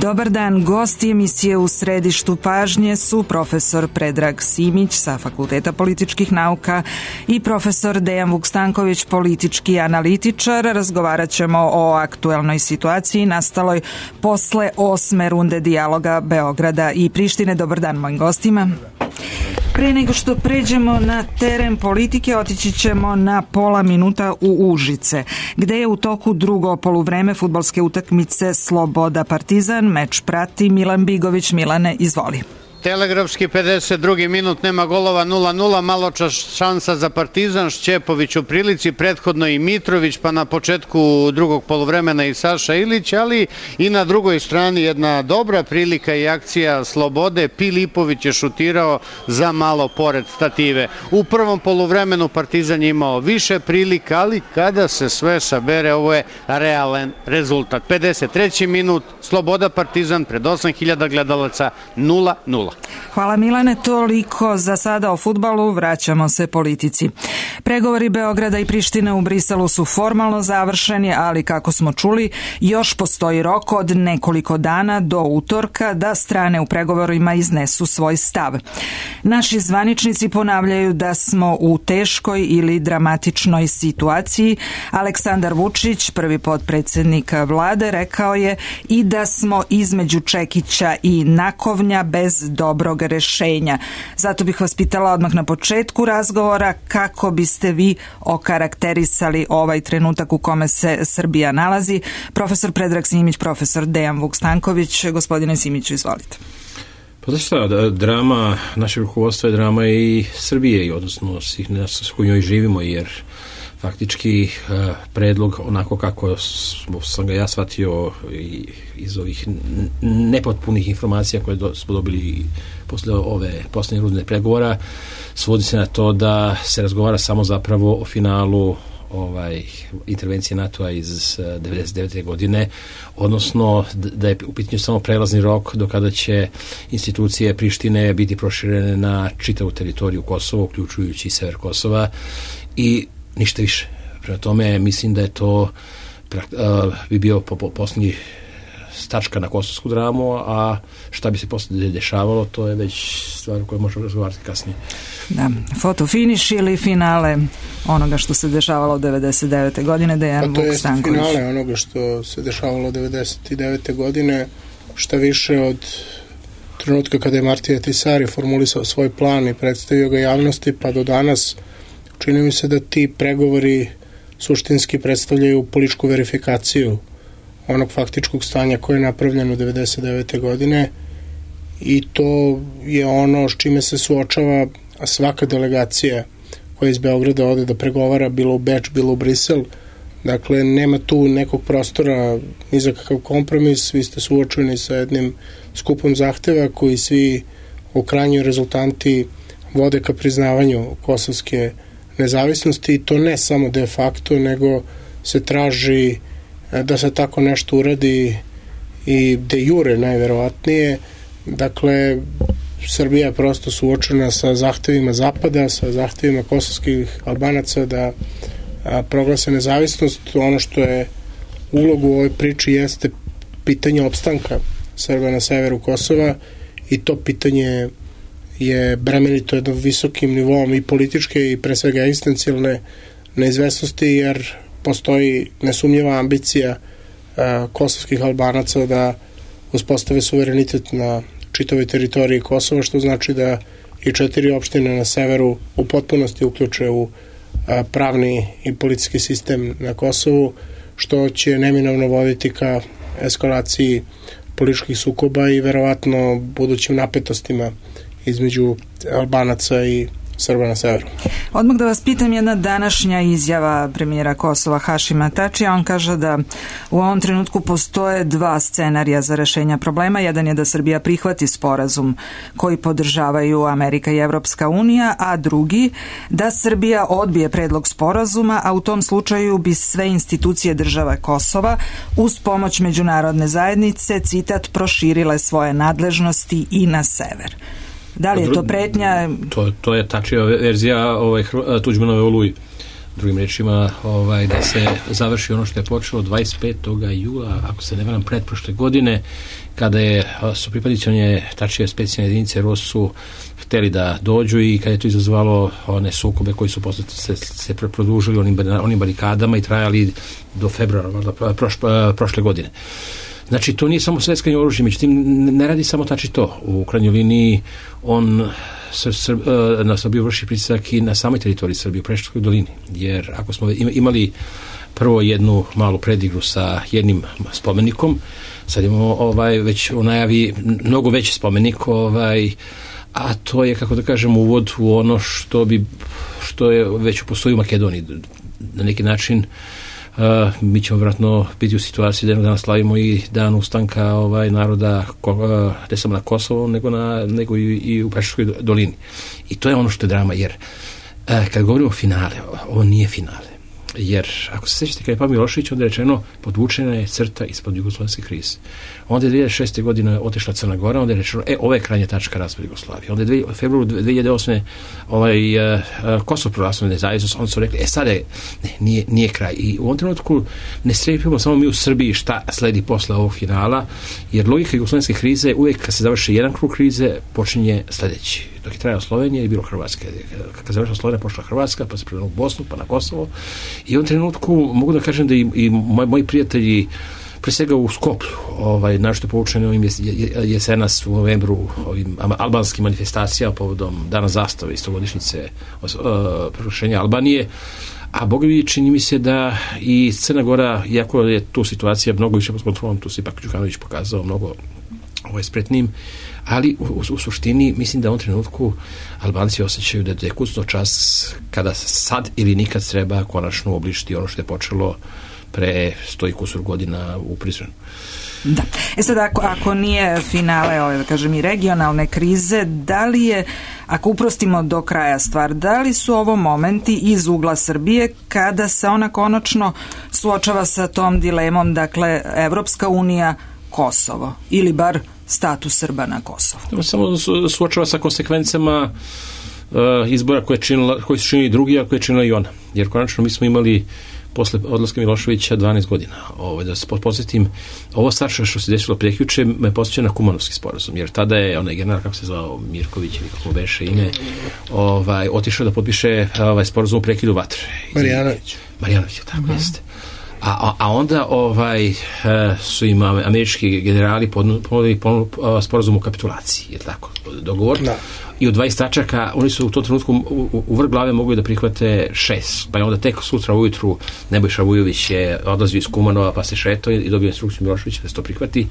Dobar dan, gosti emisije U središtu pažnje su profesor Predrag Simić sa Fakulteta političkih nauka i profesor Dejan Vukstanković, politički analitičar. Razgovarat ćemo o aktuelnoj situaciji nastaloj posle 8. runde dijaloga Beograda i Prištine. Dobar dan mojim gostima. Pre nego što pređemo na teren politike, otići ćemo na pola minuta u Užice, gde je u toku drugo poluvreme fudbalske utakmice Sloboda Partizan. Meč prati Milan Bigović. Milane, izvoli. Telegrafski 52. minut, nema golova, 0-0, malo šansa za Partizan, Šćepović u prilici, prethodno i Mitrović, pa na početku drugog poluvremena i Saša Ilić, ali i na drugoj strani jedna dobra prilika i akcija Slobode. Pilipović je šutirao za malo pored stative. U prvom poluvremenu Partizan je imao više prilika, ali kada se sve sabere, ovo je realan rezultat. 53. minut, Sloboda Partizan pred 8000 gledalaca, 0-0. Hvala Milane, toliko za sada o fudbalu, vraćamo se politici. Pregovori Beograda i Prištine u Briselu su formalno završeni, ali kako smo čuli, još postoji rok od nekoliko dana do utorka da strane u pregovorima iznesu svoj stav. Naši zvaničnici ponavljaju da smo u teškoj ili dramatičnoj situaciji. Aleksandar Vučić, prvi potpredsednik vlade, rekao je i da smo između čekića i nakovnja bez dobrog rešenja. Zato bih vas pitala odmah na početku razgovora kako biste vi okarakterisali ovaj trenutak u kome se Srbija nalazi. Profesor Predrag Simić, profesor Dejan Vukstanković. Gospodine Simiću, izvolite. Pa znači šta, drama našeg rukovodstva je drama i Srbije, odnosno svih nas s kojoj živimo, jer faktički predlog, onako kako sam ga ja shvatio iz ovih nepotpunih informacija koje smo dobili posle ove posljednje runde pregovora, svodi se na to da se razgovara samo zapravo o finalu intervencije NATO-a iz 1999. godine, odnosno da je u pitanju samo prelazni rok do kada će institucije Prištine biti proširene na čitavu teritoriju Kosova, uključujući i sever Kosova, i ništa više. Prema tome, mislim da je to bi bio posljednji stačka na kosovsku dramu, a šta bi se posle dešavalo, to je već stvar o kojoj možemo razgovarati kasnije. Da, fotofiniš ili finale onoga što se dešavalo 1999. godine, Dejan Vukstanković? Pa to je finale onoga što se dešavalo 1999. godine, šta više od trenutka kada je Martija Tisari formulisao svoj plan i predstavio ga javnosti, pa do danas čini mi se da ti pregovori suštinski predstavljaju političku verifikaciju onog faktičkog stanja koje je napravljeno 1999. godine, i to je ono s čime se suočava svaka delegacija koja iz Beograda ode da pregovara, bilo u Beč, bilo u Brisel. Dakle, nema tu nekog prostora ni za kakav kompromis, vi ste suočeni sa jednim skupom zahteva koji svi u krajnjoj rezultanti vode ka priznavanju kosovske nezavisnosti, i to ne samo de facto, nego se traži da se tako nešto uradi i de jure najverovatnije. Dakle, Srbija je prosto suočena sa zahtevima Zapada, sa zahtevima kosovskih Albanaca da proglase nezavisnost. Ono što je ulogu u ovoj priči jeste pitanje opstanka Srba na severu Kosova, i to pitanje je bremenito jednom visokim nivom i političke i pre svega egzistencijalne neizvesnosti, jer postoji nesumnjiva ambicija kosovskih Albanaca da uspostave suverenitet na čitavoj teritoriji Kosova, što znači da i 4 opštine na severu u potpunosti uključe u pravni i politički sistem na Kosovu, što će neminovno voditi ka eskalaciji političkih sukoba i verovatno budućim napetostima između Albanaca i Srba na severu. Odmah da vas pitam, jedna današnja izjava premijera Kosova Hašima Tačija, on kaže da u ovom trenutku postoje 2 scenarija za rešenja problema. Jedan je da Srbija prihvati sporazum koji podržavaju Amerika i Evropska unija, a drugi da Srbija odbije predlog sporazuma, a u tom slučaju bi sve institucije država Kosova uz pomoć međunarodne zajednice, citat, proširile svoje nadležnosti i na sever. Da li je to pretnja? To je Tačijeva verzija Tuđmanove Oluji. drugim rečima da se završi ono što je počelo 25. jula, ako se ne varam, pretprošle godine, kada su pripadnici tačnije specijalne jedinice ROSU hteli da dođu i kada je to izazvalo one sukobe koji su posle se produžili onim barikadama i trajali do februara prošle godine. Znači, to nije samo sveckanje oružje, međutim, ne radi samo to. U krajnjoj liniji on na Srbiju vrši pritisak i na samoj teritoriji Srbije, u Preševskoj dolini. Jer ako smo imali prvo jednu malu predigru sa jednim spomenikom, sad imamo već u najavi mnogo veći spomenik, a to je, kako da kažem, uvod u ono što je već postoji u Makedoniji. Na neki način mi ćemo vjerojatno biti u situaciji da jednog dana slavimo i dan ustanka naroda ne samo na Kosovo, nego i u Preševskoj dolini. I to je ono što je drama, jer kad govorimo o finale, ovo nije finale. Jer, ako se sjećate, kada je Pavle Milošević, onda je rečeno, podvučena je crta ispod jugoslovenske krize. Onda je 2006. godine otišla Crna Gora, onda je rečeno, ovo je krajnja tačka raspada Jugoslavije. Onda je u februaru 2008. Kosovo proglasilo nezavisnost, onda su rekli, sada je, nije kraj. I u ovom trenutku ne strepimo samo mi u Srbiji šta sledi posle ovog finala, jer logika jugoslovenske krize, uvijek kad se završi jedan krug krize, počinje sledeći. Dok je trajao Slovenija i bilo Hrvatska. Kad završila Slovenija, pošla Hrvatska, pa se prema u Bosnu, pa na Kosovo. I u ovom trenutku mogu da kažem da i moji prijatelji, pre svega u Skoplju, našto poučeni ovim jesenas u novembru, ovim albanskim manifestacijama povodom Dana zastave i 100-godišnjice proglašenja Albanije, a Boga vidi, čini mi se da i Crna Gora, iako je tu situacija mnogo više pod kontrolom, tu se ipak Đukanović pokazao mnogo spretnim, ali u suštini mislim da u ovom trenutku Albanci osjećaju da je kucno čas kada sad ili nikad treba konačno obližiti ono što je počelo pre 100 i kusur godina u Prizrenu. Da. Sad, ako nije finale, da kažem, i regionalne krize, da li je, ako uprostimo do kraja stvar, da li su ovo momenti iz ugla Srbije kada se ona konačno suočava sa tom dilemom, dakle, Evropska unija, Kosovo, ili bar status Srba na Kosovu? Samo suočava sa konsekvencama izbora koji su činili drugi, a koje je činila i ona. Jer konačno mi smo imali posle odlaska Miloševića 12 godina. Da se podsjetim, ovo starše što se desilo prekjuče me podsjeća na Kumanovski sporazum, jer tada je onaj general, kako se zvao, Mirković ili kako beše ime, otišao da potpiše sporazum u prekidu vatre. Marjanović, tako jeste. A onda su im američki generali ponudili sporazum o kapitulaciji, je tako, dogovor. Da. I od 20 tačaka oni su u tom trenutku u vrh glave mogli da prihvate 6, pa je onda tek sutra ujutru Nebojša Vujović je odlazio iz Kumanova pa se šetao i dobio instrukciju Miloševića da se to prihvati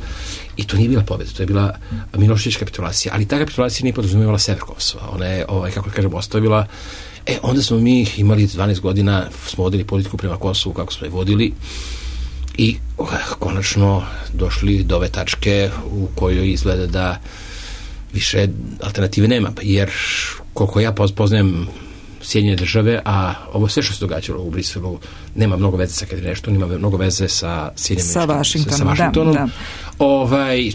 i to nije bila pobjeda, to je bila Milošević kapitulacija, ali ta kapitulacija nije podrazumevala sever Kosova, ona je, kako kažem, ostavila. Onda smo mi imali 12 godina, smo vodili politiku prema Kosovu kako smo je vodili i konačno došli do ove tačke u kojoj izgleda da više alternative nema, jer koliko ja poznajem Sjedinjene države, a ovo sve što se događalo u Briselu nema mnogo veze sa kad nešto, nema mnogo veze sa Washingtonom. Da.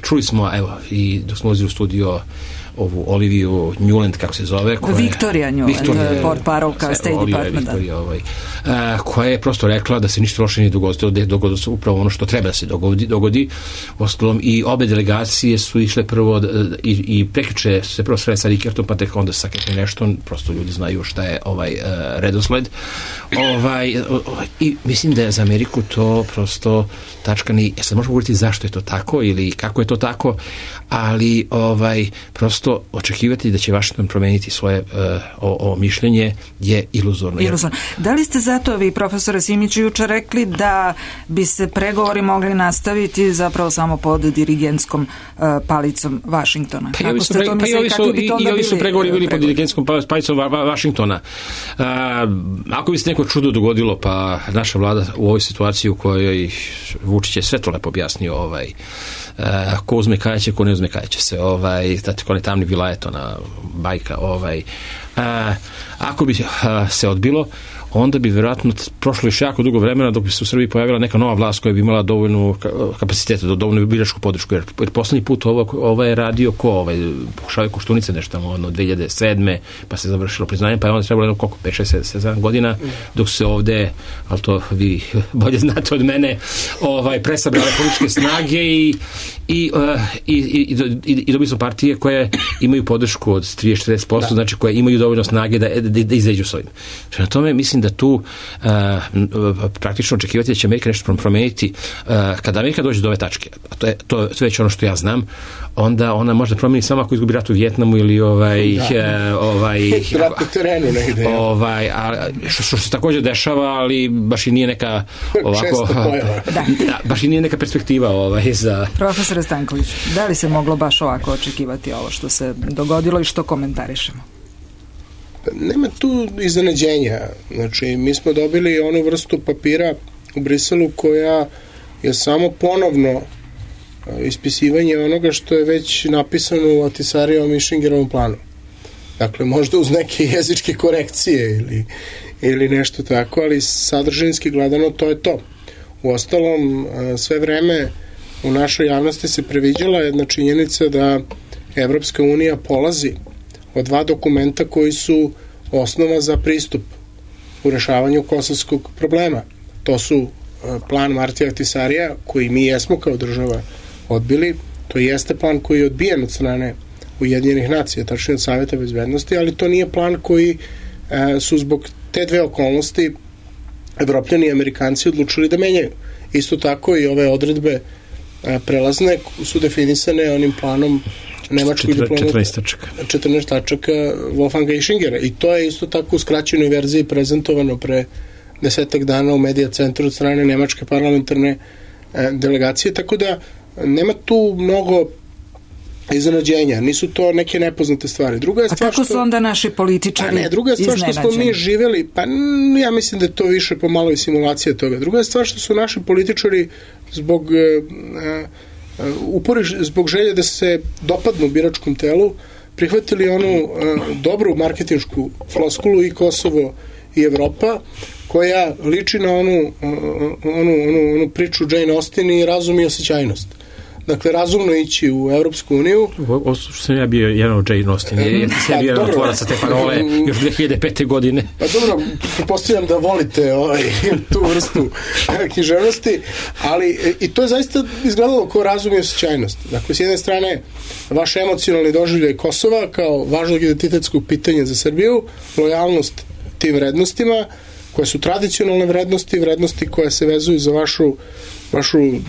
Čuli smo, i dok smo ulazili u studio, ovu Oliviju Newland, kako se zove, Victoria Newland, portparolka State Departmenta, koja je prosto rekla da se ništa loše nije dogodilo se upravo ono što treba da se dogodi. Ostalom, i obe delegacije su išle prvo i prekjuče se prvo sreli sa Rikertom, pa tek onda sa Nešton, prosto ljudi znaju šta je redosled. I mislim da je za Ameriku to prosto tačka ni, sad možemo govoriti zašto je to tako ili kako je to tako, ali prosto očekivati da će Washington promeniti svoje mišljenje je iluzorno. Da li ste zato vi, profesore Simiću, jučer rekli da bi se pregovori mogli nastaviti zapravo samo pod dirigentskom palicom Washingtona? I ovi su pregovori bili pod dirigentskom palicom Washingtona. Ako bi se neko čudo dogodilo, pa naša vlada u ovoj situaciji u kojoj Vučić je sve to lepo objasnio, ko uzme kajaće, ko ne uzme kajaće se, ko ne tamni vilajet, ona bajka, ako bi se odbilo, onda bi vjerojatno prošlo još jako dugo vremena dok bi se u Srbiji pojavila neka nova vlast koja bi imala dovoljnu kapaciteta, dovoljnu biračku podršku. Jer poslednji put ovo je radio pokušavaju Koštunice nešto tamo 2007. pa se završilo priznanje, pa je onda trebalo 5-6-7 godina dok se ovde, ali to vi bolje znate od mene, presabrale političke snage i dobili smo partije koje imaju podršku od 30-40%, znači koje imaju dovoljno snage da izađu s ovim. Na tome mislim da tu praktično očekivati da će Amerika nešto promeniti. Kada Amerika dođe do ove tačke, a to je već ono što ja znam, onda ona može promeni samo ako izgubi rat u Vjetnamu ili rat na terenu negde. Što se također dešava, ali baš i nije neka ovako baš i nije neka perspektiva za... Profesore Stanković, da li se moglo baš ovako očekivati ovo što se dogodilo i što komentarišemo? Nema tu iznenađenja. Znači, mi smo dobili onu vrstu papira u Briselu koja je samo ponovno ispisivanje onoga što je već napisano u Ahtisarijevom i Schingerovom planu. Dakle, možda uz neke jezičke korekcije ili nešto tako, ali sadržinski gledano to je to. Uostalom, sve vreme u našoj javnosti se previđala jedna činjenica da Evropska unija polazi od dva dokumenta koji su osnova za pristup u rešavanju kosovskog problema. To su plan Martija Ahtisarija, koji mi jesmo kao država odbili. To jeste plan koji je odbijen od strane Ujedinjenih nacija, tačnije od Saveta bezbednosti, ali to nije plan koji su zbog te dve okolnosti Evropljani i Amerikanci odlučili da menjaju. Isto tako i ove odredbe prelazne su definisane onim planom nemačkog diplomata 14 tačaka Wolfganga i Schingera, i to je isto tako u skraćenoj verziji prezentovano pre 10 dana u Medija centru od strane nemačke parlamentarne delegacije, tako da nema tu mnogo iznenađenja, nisu to neke nepoznate stvari. Druga je stvar, a kako su onda naši političari druga je stvar što smo mi živeli, pa ja mislim da je to više pomalo i simulacija toga. Druga je stvar što su naši političari zbog zbog želje da se dopadnu biračkom telu prihvatili onu dobru marketinšku floskulu i Kosovo i Evropa, koja liči na onu priču Jane Austen i razum i osjećajnost. Dakle, razumno ići u Evropsku uniju. Ovo što sam ja bio jedan od Jane Austen, jer ti sam bio jedan otvorac sa te parole još 2005. godine. Pa dobro, pretpostavljam da volite tu vrstu književnosti, ali i to je zaista izgledalo kao razum i osjećajnost. Dakle, s jedne strane, vaš emocionalni doživljaj Kosova kao važnog identitetskog pitanja za Srbiju, lojalnost tim vrednostima, koje su tradicionalne vrednosti koje se vezuju za vašu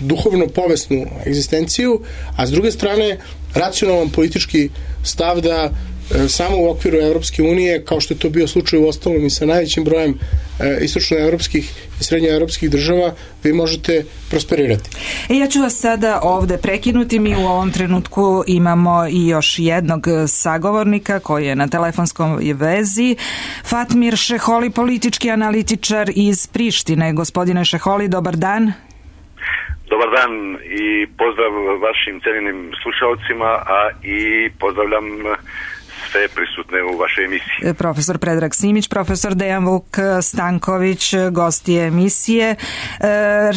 duhovno-povesnu egzistenciju, a s druge strane racionalan politički stav da samo u okviru Evropske unije, kao što je to bio slučaj u ostalom i sa najvećim brojem istočnoevropskih i srednjoevropskih država, vi možete prosperirati. Ja ću vas sada ovde prekinuti. Mi u ovom trenutku imamo i još jednog sagovornika koji je na telefonskoj vezi. Fatmir Šeholi, politički analitičar iz Prištine. Gospodine Šeholi, dobar dan. Dobar dan i pozdrav vašim cijenjenim slušalcima, a i pozdravljam sve prisutne u vašoj emisiji. Profesor Predrag Simić, profesor Dejan Vuk Stanković, gosti emisije.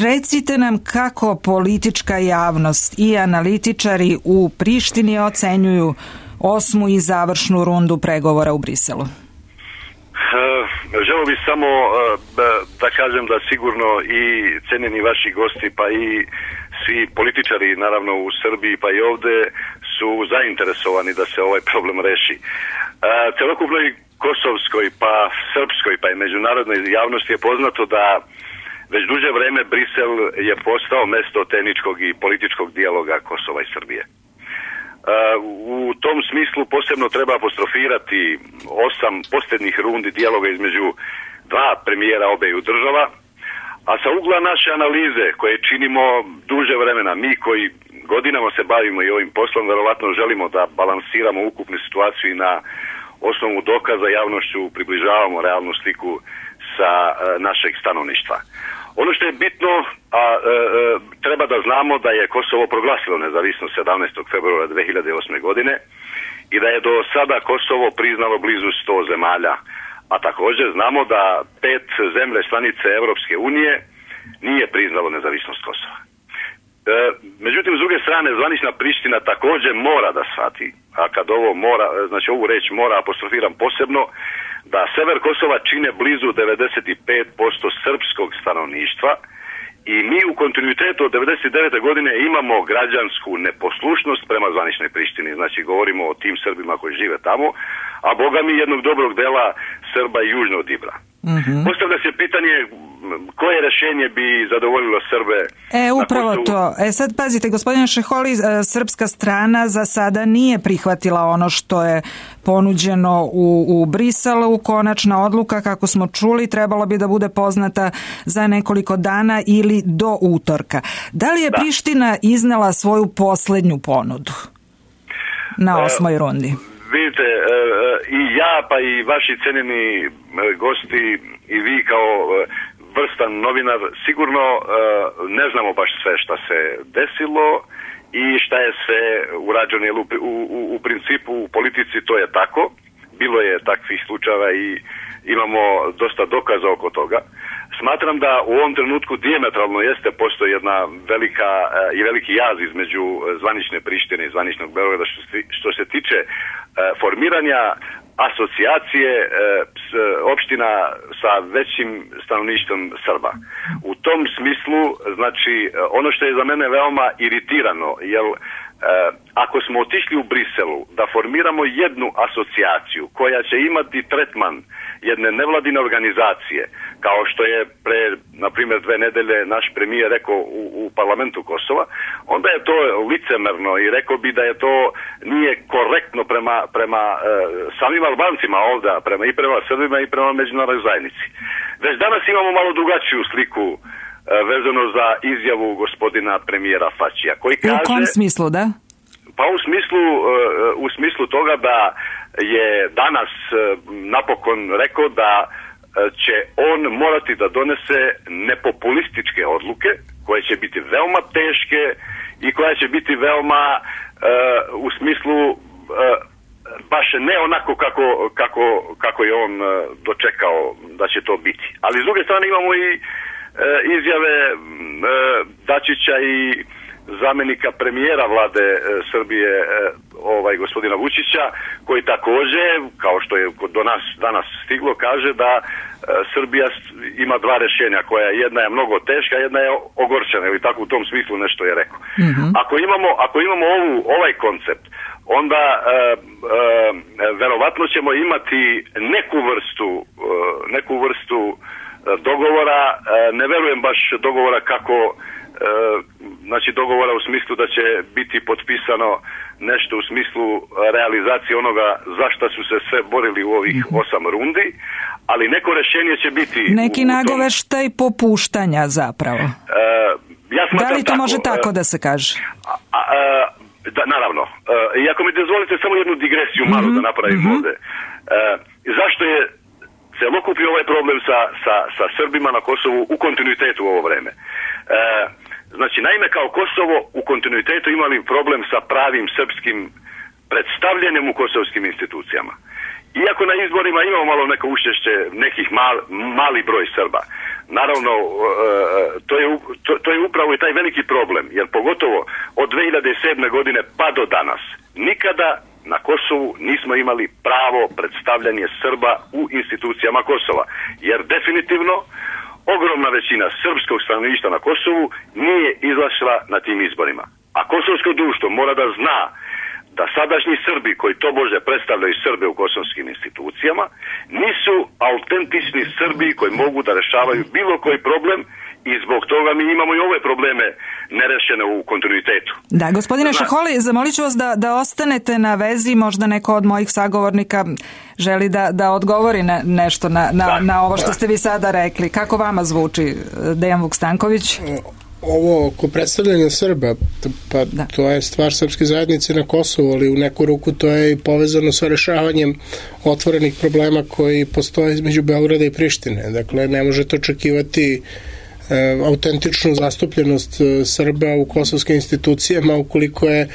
Recite nam kako politička javnost i analitičari u Prištini ocenjuju 8. i završnu rundu pregovora u Briselu. Želeo bih samo da kažem da sigurno i cenjeni vaši gosti, pa i svi političari naravno u Srbiji pa i ovde su zainteresovani da se ovaj problem reši. Celokupnoj kosovskoj pa srpskoj pa i međunarodnoj javnosti je poznato da već duže vreme Brisel je postao mesto tehničkog i političkog dijaloga Kosova i Srbije. U tom smislu posebno treba apostrofirati 8 posljednjih rundi dijaloga između dva premijera obeju država, a sa ugla naše analize koje činimo duže vremena, mi koji godinama se bavimo i ovim poslom, verovatno želimo da balansiramo ukupnu situaciju i na osnovu dokaza javnošću približavamo realnu sliku sa našeg stanovništva. Ono što je bitno, treba da znamo da je Kosovo proglasilo nezavisnost 17. februara 2008. godine i da je do sada Kosovo priznalo blizu 100 zemalja, a također znamo da 5 zemlje članice Europske unije nije priznalo nezavisnost Kosova. Međutim, s druge strane, zvanična Priština također mora da shvati, a kad ovo mora, znači ovu reč mora apostrofiram posebno, da sever Kosova čine blizu 95% srpskog stanovništva i mi u kontinuitetu od 99. godine imamo građansku neposlušnost prema zvaničnoj Prištini. Znači, govorimo o tim Srbima koji žive tamo, a boga mi jednog dobrog dela Srba i južno od Ibra. Postavlja se pitanje koje rješenje bi zadovoljilo Srbe. Upravo to. Sad pazite, gospodine Šeholi, srpska strana za sada nije prihvatila ono što je ponuđeno u Briselu. Konačna odluka, kako smo čuli, trebalo bi da bude poznata za nekoliko dana ili do utorka. Da li je Priština iznela svoju posljednju ponudu na 8. rundi? Vidite, i ja pa i vaši cenjeni gosti i vi kao vrstan novinar sigurno ne znamo baš sve šta se desilo i šta je sve urađeno, jer u principu u politici to je tako. Bilo je takvih slučajeva i imamo dosta dokaza oko toga. Smatram da u ovom trenutku dijametralno postoji jedna veliki jaz između zvanične Prištine i zvaničnog Beograda što se tiče formiranja asocijacije opština sa većim stanovništvom Srba. U tom smislu, znači, ono što je za mene veoma iritirano, jer ako smo otišli u Briselu da formiramo jednu asocijaciju koja će imati tretman jedne nevladine organizacije, kao što je pre, na primjer, 2 nedelje naš premijer rekao u parlamentu Kosova, onda je to licemerno i rekao bi da je to nije korektno prema samim Albancima ovdje, i prema Srbima i prema međunarodnoj zajednici. Već danas imamo malo drugačiju sliku vezano za izjavu gospodina premijera Fačija, koji kaže... U kom smislu, da? Pa u smislu toga da je danas napokon rekao da će on morati da donese nepopulističke odluke koje će biti veoma teške i koja će biti veoma u smislu baš ne onako kako je on dočekao da će to biti. Ali s druge strane imamo i izjave Dačića i zamjenika premijera vlade Srbije gospodina Vučića, koji također, kao što je do nas danas stiglo, kaže da Srbija ima 2 rješenja, koja jedna je mnogo teška, jedna je ogorčena, ili tako u tom smislu nešto je rekao. Ako imamo ovaj koncept, onda verovatno ćemo imati neku vrstu dogovora, ne verujem baš dogovora kako, znači dogovora u smislu da će biti potpisano nešto u smislu realizacije onoga za šta su se sve borili u ovih 8 rundi, ali neko rješenje će biti... Neki nagoveštaj popuštanja zapravo. Ja da li to može tako da se kaže? Da, naravno. I ako mi dozvolite samo jednu digresiju malo da napravim ovdje. Zašto je celokupni ovaj problem sa Srbima na Kosovu u kontinuitetu u ovo vreme? Znači, naime, kao Kosovo u kontinuitetu imali problem sa pravim srpskim predstavljanjem u kosovskim institucijama. Iako na izborima imamo malo neko učešće nekih mali broj Srba. Naravno, to je upravo i taj veliki problem, jer pogotovo od 2007. godine pa do danas nikada na Kosovu nismo imali pravo predstavljanje Srba u institucijama Kosova, jer definitivno ogromna većina srpskog stanovništva na Kosovu nije izašla na tim izborima. A kosovsko društvo mora da zna da sadašnji Srbi koji tobože predstavljaju Srbe u kosovskim institucijama nisu autentični Srbi koji mogu da rešavaju bilo koji problem i zbog toga mi imamo i ove probleme nerešene u kontinuitetu. Da, gospodine Šeholi, zamolit ću vas da ostanete na vezi, možda neko od mojih sagovornika želi da odgovori nešto na ovo što ste vi sada rekli. Kako vama zvuči, Dejan Vukstanković? Ovo oko predstavljanja Srba, pa to je stvar srpske zajednice na Kosovu, ali u neku ruku to je i povezano sa rešavanjem otvorenih problema koji postoje između Beograda i Prištine. Dakle, ne možete očekivati autentičnu zastupljenost Srba u kosovskim institucijama ukoliko je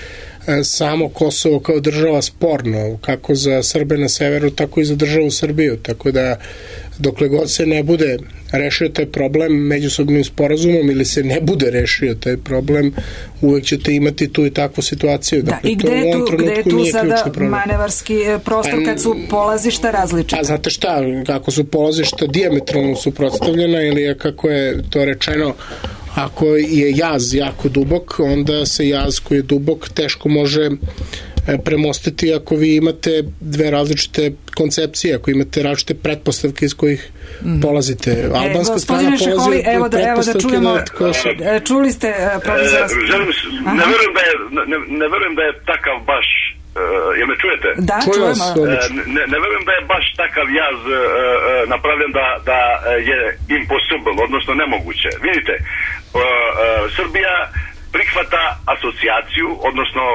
samo Kosovo kao država sporno, kako za Srbe na severu, tako i za državu Srbiju, tako da dokle god se ne bude rešio taj problem međusobnim sporazumom ili se ne bude rešio taj problem, uvek ćete imati tu i takvu situaciju. Da, dakle, i gde je tu sada manevarski prostor kad su polazišta različita? Znate šta, kako su polazišta dijametralno suprotstavljena ili kako je to rečeno, ako je jaz jako dubok, onda se jaz koji je dubok teško može premostiti ako vi imate dve različite koncepcije, ako imate različite pretpostavke iz kojih polazite. Albanska strana polazi od pretpostavke da... Čuli ste, profesor? Ne verujem da je takav baš... Jel me čujete? Da, čujemo. Ne verujem da je baš takav jaz napravljen da je impossible, odnosno nemoguće. Vidite, Srbija prihvata asocijaciju, odnosno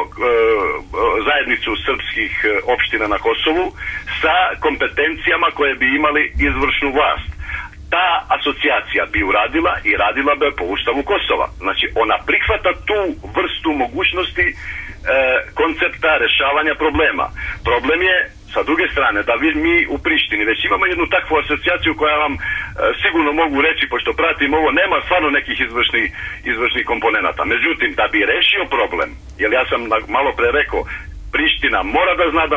zajednicu srpskih opština na Kosovu sa kompetencijama koje bi imali izvršnu vlast. Ta asocijacija bi uradila i radila bi po Ustavu Kosova. Znači, ona prihvata tu vrstu mogućnosti koncepta rešavanja problema. Problem je, sa druge strane, da mi u Prištini već imamo jednu takvu asocijaciju koja vam sigurno mogu reći, pošto pratim ovo, nema stvarno nekih izvršnih komponenata. Međutim, da bi rešio problem, jer ja sam malo pre rekao, Priština mora da zna da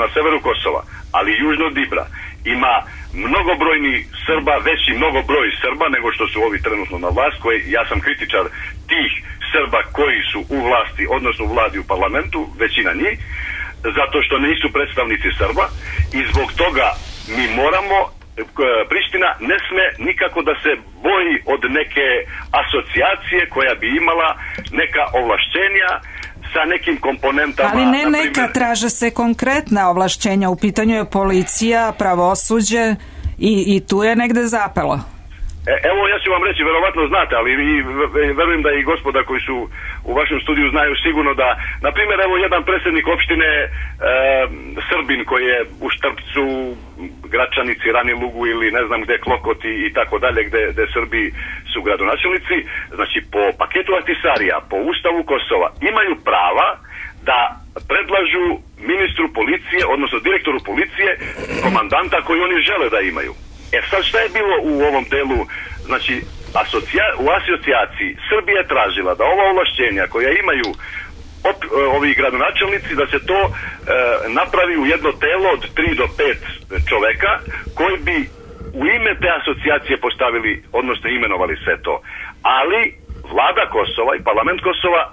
na severu Kosova, ali južno od Dibra, ima mnogobrojni Srba, veći mnogobroj Srba nego što su ovi trenutno na vlast, koji, ja sam kritičar tih Srba koji su u vlasti, odnosno u vladi u parlamentu, većina njih, zato što nisu predstavnici Srba i zbog toga mi moramo, Priština ne sme nikako da se boji od neke asocijacije koja bi imala neka ovlašćenja sa nekim komponentama. Ali ne neka, traže se konkretna ovlašćenja, u pitanju je policija, pravosuđe i tu je negde zapelo. Evo, ja ću vam reći, verovatno znate, ali verujem da i gospoda koji su u vašem studiju znaju sigurno da, na primjer, evo jedan predsjednik opštine Srbin koji je u Štrpcu, Gračanici, Rani Lugu ili ne znam gde, Klokoti i tako dalje, gde Srbi su gradonačelnici, znači po paketu Ahtisarija, po Ustavu Kosova, imaju prava da predlažu ministru policije, odnosno direktoru policije, komandanta koji oni žele da imaju. Sad šta je bilo u ovom delu, znači u asocijaciji Srbija je tražila da ova ovlašćenja koja imaju ovi gradonačelnici, da se to napravi u jedno telo od 3 do 5 čoveka koji bi u ime te asocijacije postavili, odnosno imenovali sve to. Ali vlada Kosova i parlament Kosova,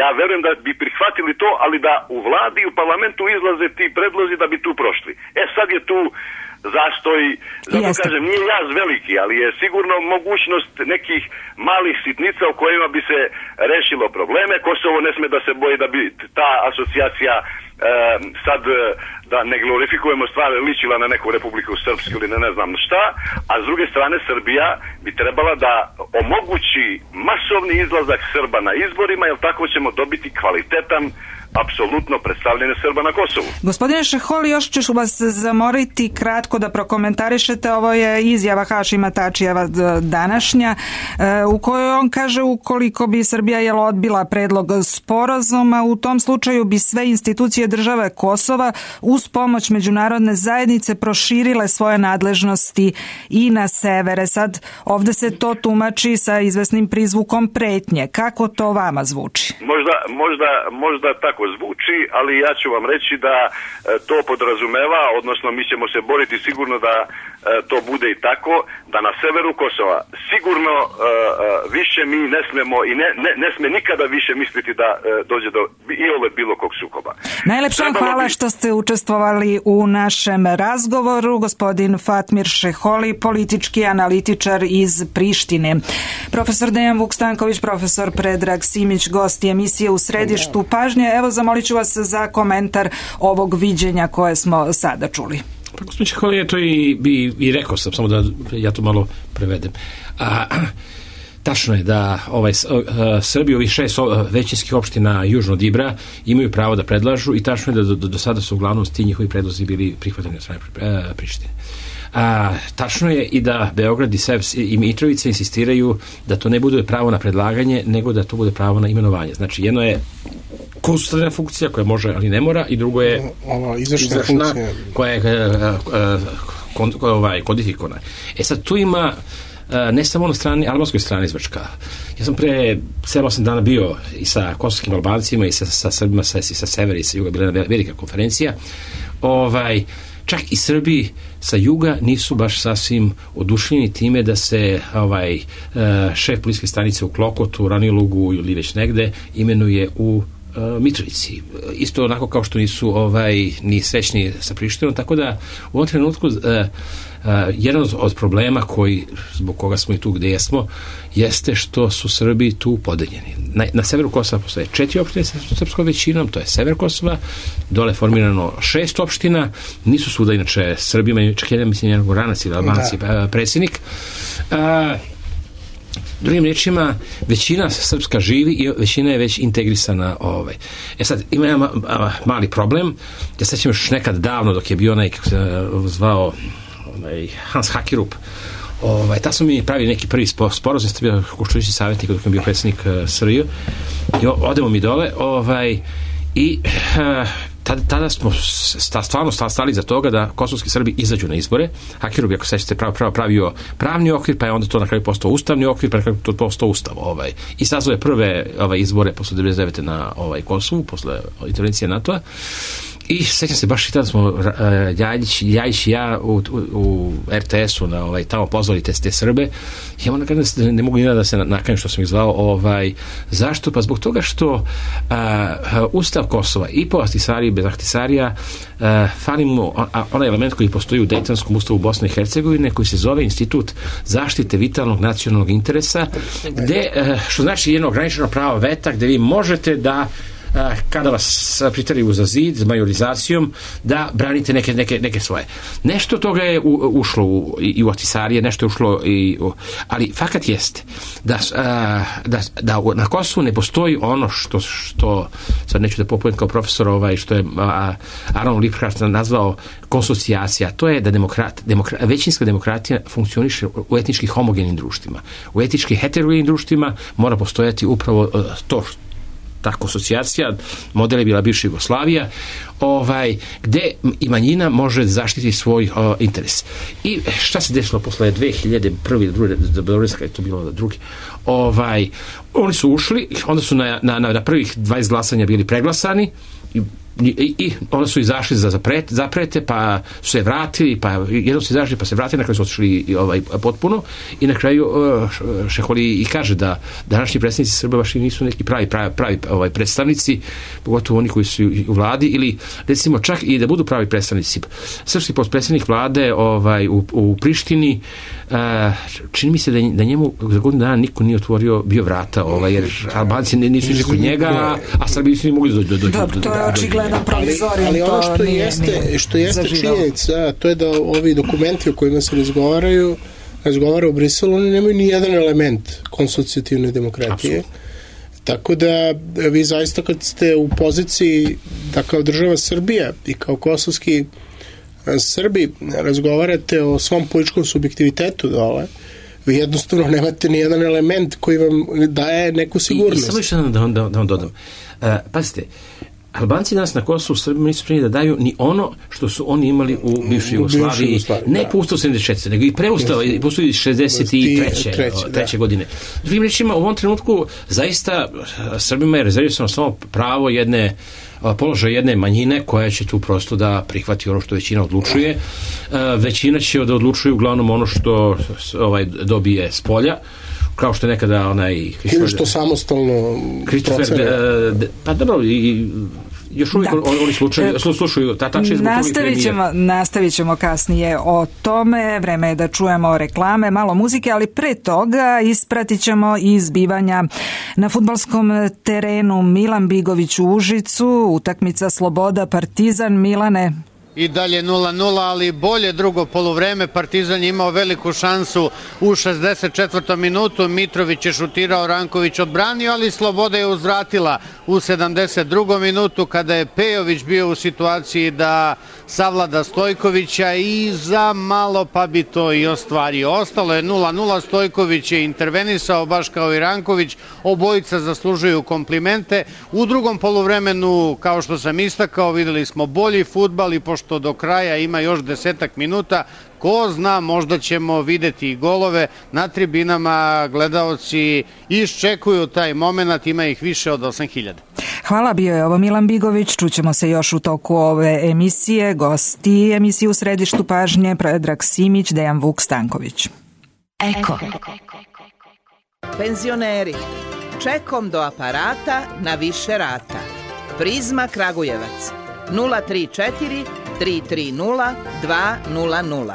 ja verujem da bi prihvatili to, ali da u vladi i u parlamentu izlaze ti predlozi da bi tu prošli. Sad je tu zastoj, zato kažem, nije jaz veliki, ali je sigurno mogućnost nekih malih sitnica u kojima bi se rešilo probleme. Kosovo ne sme da se boji da bi ta asocijacija sad, da ne glorifikujemo stvari, ličila na neku Republiku Srpsku ili ne znam šta, a s druge strane Srbija bi trebala da omogući masovni izlazak Srba na izborima, jer tako ćemo dobiti kvalitetan apsolutno predstavljanje Srba na Kosovu. Gospodine Šeholi, još ću vas zamoriti kratko da prokomentarišete, ovo je izjava Hašima Tačijeva današnja, u kojoj on kaže ukoliko bi Srbija odbila predlog sporazuma, u tom slučaju bi sve institucije države Kosova uz pomoć međunarodne zajednice proširile svoje nadležnosti i na severe. Sad, ovde se to tumači sa izvesnim prizvukom pretnje. Kako to vama zvuči? Možda tako zvuči, ali ja ću vam reći da to podrazumeva, odnosno mi ćemo se boriti sigurno da to bude i tako, da na severu Kosova sigurno više mi ne smemo i ne sme nikada više misliti da dođe do bilo kog sukoba. Najlepša hvala što ste učestvovali u našem razgovoru. Gospodin Fatmir Šeholi, politički analitičar iz Prištine. Profesor Dejan Vuk-Stanković, profesor Predrag Simić, gosti emisije U središtu pažnje. Evo, zamolit ću vas za komentar ovog viđenja koje smo sada čuli. Pa gospodin Šeholi je to i rekao sam, samo da ja to malo prevedem. Tačno je da Srbi, ovih 6 većinskih opština južno od Ibra, imaju pravo da predlažu i tačno je da do sada su uglavnom ti njihovi predlozi bili prihvatani od strane Prištine. Tačno je i da Beograd i Mitrovica insistiraju da to ne bude pravo na predlaganje, nego da to bude pravo na imenovanje. Znači, jedno je konsultativna funkcija koja može, ali ne mora, i drugo je izvršna funkcija koja je kodifikovana. Sad tu ima ne samo na strani, albanskoj strani izvrška. Ja sam pre 7-8 dana bio i sa kosovskim Albancima i sa Srbima, i sa severa i sa juga, bila je velika konferencija. Čak i Srbi sa juga nisu baš sasvim oduševljeni time da se šef policijske stanice u Klokotu, Ranilugu ili već negde imenuje u Mitrovici. Isto onako kao što nisu ni srećni sa Prištinom, tako da u ovom trenutku jedan od problema zbog koga smo i tu gde jesmo, jeste što su Srbi tu podeljeni. Na severu Kosova postoje 4 opštine sa srpskom većinom, to je sever Kosova, dole je formirano 6 opština, nisu svuda inače Srbima, čak jedan Goranac ili Albanci predsjednik. Drugim riječima, većina srpska živi i većina je već integrisana. Sad, ima jedan mali problem. Ja sećam još nekad davno dok je bio onaj, kako se zvao, Hans Hakerup, ta smo mi pravili neki prvi sporazum, ste bio Košturići savjetnik dok je bio predsjednik SRJ, i odemo mi dole, i tada smo stvarno stali za toga da kosovski Srbi izađu na izbore. Hakerup, ako sećate, pravio pravni okvir, pa je onda to na kraju postao ustavni okvir, pa je to postao ustav. I sazvao je prve izbore posle 1999. na Kosovu, posle intervencije NATO-a. I sećam se, baš i tada smo Ljajić i ja u RTS-u tamo pozvali te Srbe. Ja moram kažem da ne mogu ni da se nakajem što sam ih zvao. Zašto? Pa zbog toga što Ustav Kosova i po Ahtisariji i bez Ahtisarija fali mu onaj element koji postoji u Dejtonskom ustavu Bosne i Hercegovine, koji se zove Institut zaštite vitalnog nacionalnog interesa, gde, što znači jedno ograničeno pravo veta, gde vi možete da kada vas priteraju za zid majorizacijom, da branite neke svoje. Nešto toga je ušlo i u Ahtisarije, nešto je ušlo ali fakat jeste da na Kosovu ne postoji ono što sad neću da popujem kao profesor, što je Aron Liphardt nazvao konsocijacija. To je da većinska demokratija funkcioniše u etnički homogenim društvima. U etnički heterogenim društvima mora postojati upravo ta asocijacija, model je bila bivša Jugoslavija, gde i manjina može zaštiti svoj interes. I šta se desilo posle 2001. 2002. kada je to bilo drugi? Oni su ušli, onda su na prvih 20 glasanja bili preglasani i onda su izašli za zaprete, pa su se vratili, pa jedno su izašli, pa se vratili, na kraju su otišli potpuno, i na kraju Šeholi i kaže da današnji predstavnici Srba baš nisu neki pravi predstavnici, pogotovo oni koji su u vladi, ili recimo čak i da budu pravi predstavnici. Srpski potpredsednik vlade u Prištini, čini mi se da njemu za godinu dana niko nije otvorio bio vrata, jer Albanci nisu išli kod njega, a Srbi nisu mogli dođu. To je očigledan provizorijum. Ali ono što jeste činjenica, to je da ovi dokumenti o kojima se razgovara u Briselu, oni nemaju ni jedan element konsocijativne demokratije. Absolutno. Tako da vi zaista kad ste u poziciji da kao država Srbija i kao kosovski Srbi razgovarate o svom političkom subjektivitetu dole, vi jednostavno nemate ni jedan element koji vam daje neku sigurnost. I samo još jedan da vam dodam. Pazite, Albanci danas na Kosovu Srbima nisu spremni da daju ni ono što su oni imali u bivšoj Jugoslaviji, ne po Ustavu 74. nego i preustava i postoji 63. godine. Drugim rečima, u ovom trenutku zaista Srbima je rezervisano samo pravo položaj jedne manjine koja će tu prosto da prihvati ono što većina odlučuje. Većina će da odlučuje uglavnom ono što dobije s polja, kao što je nekada ili što samostalno pa dobro, i još uvijek oni slušaju nastavit ćemo kasnije o tome. Vreme je da čujemo reklame, malo muzike, ali pre toga ispratit ćemo i zbivanja na fudbalskom terenu Milan Bigović u Užicu, utakmica Sloboda Partizan. Milane, I dalje 0-0, ali bolje drugo poluvreme. Partizan je imao veliku šansu u 64. minutu. Mitrović je šutirao, Ranković odbranio, ali Sloboda je uzvratila u 72. minutu kada je Pejović bio u situaciji da savlada Stojkovića i za malo pa bi to i ostvario. Ostalo je 0-0, Stojković je intervenisao baš kao i Ranković, obojica zaslužuju komplimente. U drugom poluvremenu, kao što sam istakao, videli smo bolji fudbal i pošto do kraja ima još 10 minuta, ko zna, možda ćemo videti i golove. Na tribinama gledaoci iščekuju taj moment, ima ih više od 8.000. Hvala, bio je ovo Milan Bigović. Čućemo se još u toku ove emisije. Gosti emisije u središtu pažnje Predrag Simić, Dejan Vuk Stanković. Eko. Penzioneri, čekom do aparata na više rata. Prizma Kragujevac 034 330 200.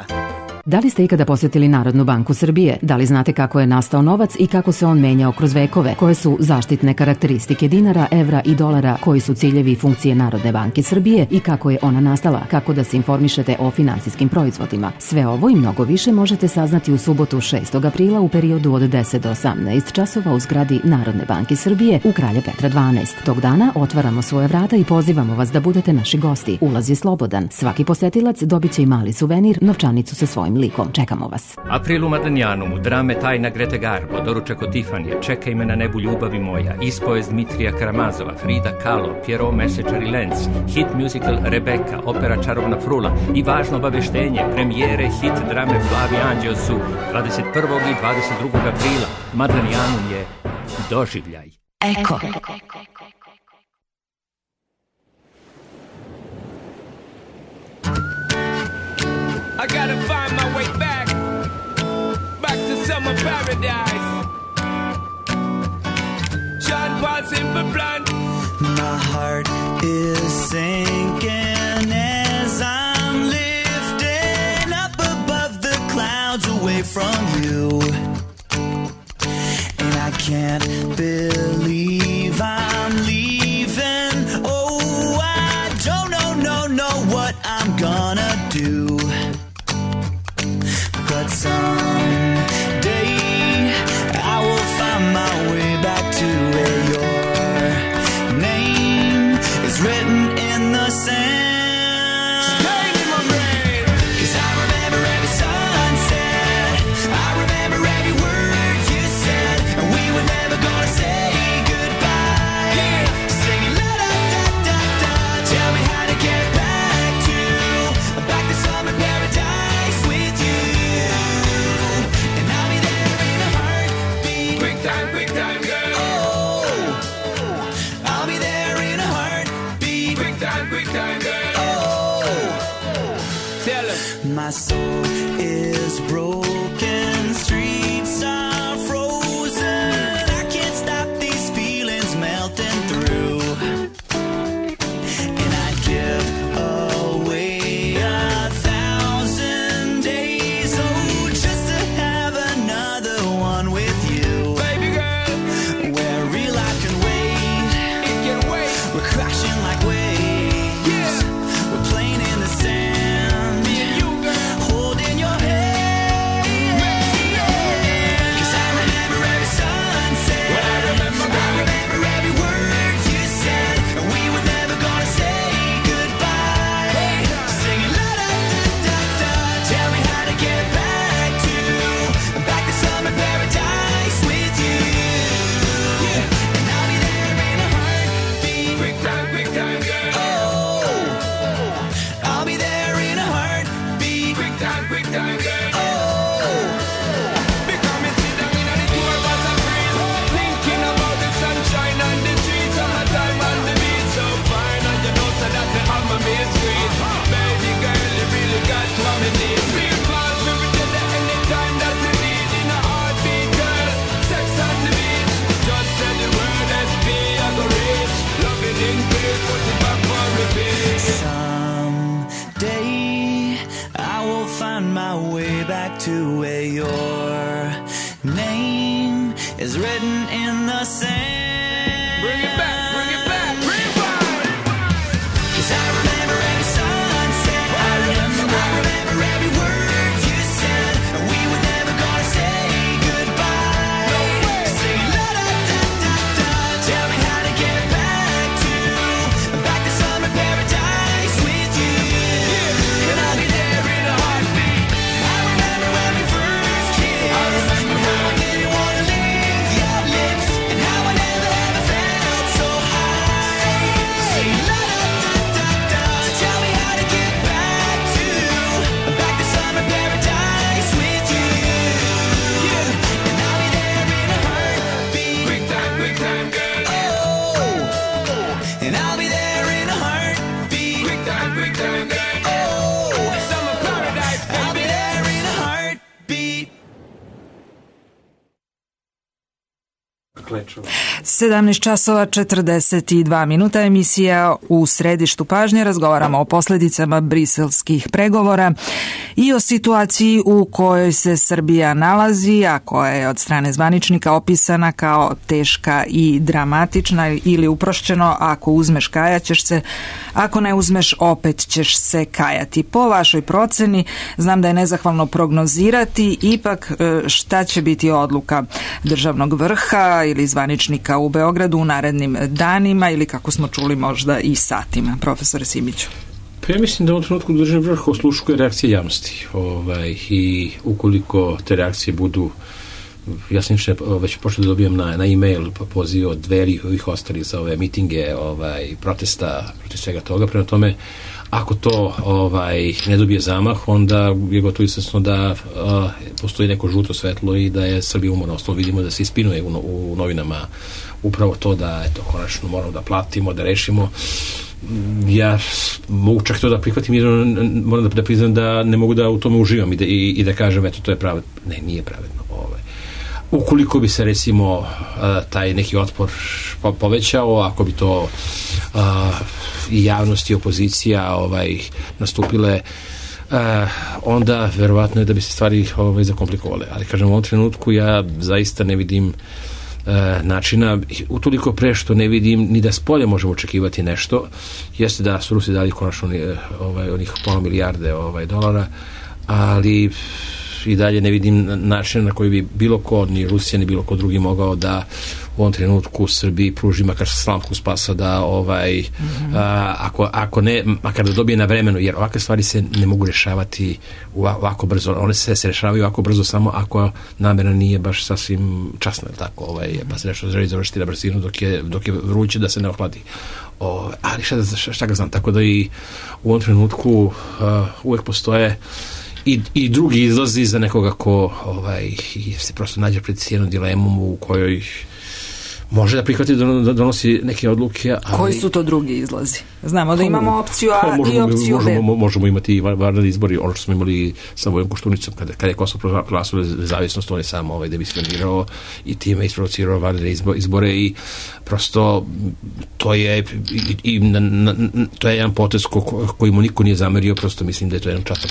Da li ste ikada posjetili Narodnu banku Srbije? Da li znate kako je nastao novac i kako se on menjao kroz vekove? Koje su zaštitne karakteristike dinara, evra i dolara? Koji su ciljevi i funkcije Narodne banke Srbije i kako je ona nastala? Kako da se informišete o finansijskim proizvodima? Sve ovo i mnogo više možete saznati u subotu 6. aprila u periodu od 10 do 18 časova u zgradi Narodne banke Srbije u Kralja Petra 12. Tog dana otvaramo svoje vrata i pozivamo vas da budete naši gosti. Ulaz je slobodan. Svaki posetilac dobit će i mali suvenir, novčanicu sa svojim likom. Čekamo vas. April u Madanijanum, drame Tajna Grete Garbo, doručak od Tifanija, Čekaj me na nebu ljubavi moja, ispovest Dmitrija Karamazova, Frida Kahlo, Pierrot Mesečar i Lenz, hit musical Rebeka, opera Čarobna frula i važno obaveštenje, premijere hit drame Plavi anđeo su 21. i 22. aprila. Madanijanum je doživljaj. Eko. I gotta find my way back to summer paradise. John Paul Simple Plan. My heart is sinking as I'm lifting up above the clouds away from you. And I can't believe I'm leaving. Oh, I don't know what I'm gonna do. But someday I will find my way back to where your name is written in the sand. Stay in my brain. 'Cause I remember every sunset, I remember every word you said, and we were never gonna say goodbye. Yeah. Singing la da da da da, tell me how to get back to summer paradise with you. Quick time, girl. Oh, I'll be there in a heartbeat. Quick time, girl. Oh, tell her. my soul is broken, streets are frozen. I can't stop these feelings melting through. And I'd give away 1,000 days, oh, just to have another one with you. Where real life can wait, It can wait. we're crashing like waves. Yeah. We're playing in the sand, Me and you, girl. holding your hand. 'Cause I remember every sunset, What I remember, I remember every word you said, and we were never gonna say goodbye. Singing la da da da da, tell me how to get back to summer paradise with you. And I'll be there in a heartbeat. Quick time, girl. Oh, I'll be there in a heartbeat. Quick time, girl. Oh, Become it, sit down in the tour bus and breeze. Thinking about the sunshine and the trees, summertime on the beach. So fine, and you know so that I'm a main street. Baby girl, you really got what me need. Feel close, we be there anytime that you need. In a heartbeat, girl, sex on the beach. Just say the word SP, I go reach. Love it in peace, put it back on repeat. someday I will find my way back to where your name is written in the sand. Bring it back, rewind. 'Cause I remember every sunset, 17 časova 42 minuta, emisija U središtu pažnje. Razgovaramo o posljedicama briselskih pregovora i o situaciji u kojoj se Srbija nalazi, a koja je od strane zvaničnika opisana kao teška i dramatična, ili uprošćeno, ako uzmeš kajat ćeš se, ako ne uzmeš opet ćeš se kajati. Po vašoj proceni, znam da je nezahvalno prognozirati, ipak šta će biti odluka državnog vrha ili zvaničnika u Beogradu u narednim danima ili, kako smo čuli, možda i satima, profesore Simiću? Pa ja mislim da u ovom trenutku državni vrh osluškuje reakcije javnosti i ukoliko te reakcije budu, ja sam već počeo da dobijam na e-mail poziv od Dveri i ovih ostalih za ove mitinge, protesta, protiv svega toga. Prema tome, ako to ne dobije zamah, onda je gotovo izvesno da postoji neko žuto svetlo i da je Srbija umorna. Ostalo vidimo da se ispinuje u novinama upravo to da konačno moramo da platimo, da rešimo. Ja mogu čak to da prihvatim, jer moram da priznam da ne mogu da u tome uživam i da kažem, eto, to je pravedno. Ne, nije pravedno. Ukoliko bi se, recimo, taj neki otpor povećao, ako bi to i javnost i opozicija nastupile, onda verovatno je da bi se stvari zakomplikovale. Ali, kažem, u ovom trenutku ja zaista ne vidim načina, utoliko pre što ne vidim ni da s polja možemo očekivati nešto. Jeste da su Rusi dali konačno onih pola milijarde dolara, ali i dalje ne vidim način na koji bi bilo ko, ni Rusija, ni bilo ko drugi mogao da u ovom trenutku Srbiji pruži makar slamku spasa da ako ne, makar da dobije na vremenu, jer ovakve stvari se ne mogu rešavati ovako brzo. One se rešavaju ovako brzo samo ako namera nije baš sasvim časna, tako, pa se nešto želi završiti na brzinu dok je vruće da se ne ohladi. Ali šta ga znam, tako da i u ovom trenutku uvek postoje i drugi izlazi za nekoga ko se prosto nađe pred jednom dilemom u kojoj može da prihvati da donosi neke odluke. Ali... Koji su to drugi izlazi? Znamo da imamo opciju A i opciju B. Možemo imati i vanredni izbori, ono što smo imali sa Vojom Koštunicom, kada je Kosovo proglasilo nezavisnost, on je sam demisionirao i time isprovocirao vanredne izbore i prosto to je jedan potez koji mu niko nije zamerio, prosto mislim da je to jedan častan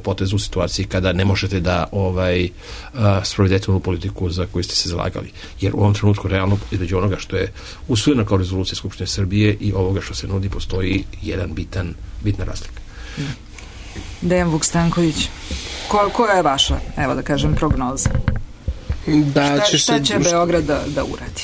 potez u situaciji kada ne možete da sprovedete onu politiku za koju ste se zalagali. Jer u ovom trenutku realno između onoga što je usvojeno kao rezolucija Skupštine Srbije i ovoga što se nudi postoji jedan bitna razlika. Dejan Vukstanković, koja je vaša, evo da kažem, prognoza? Šta će Beograd da uradi?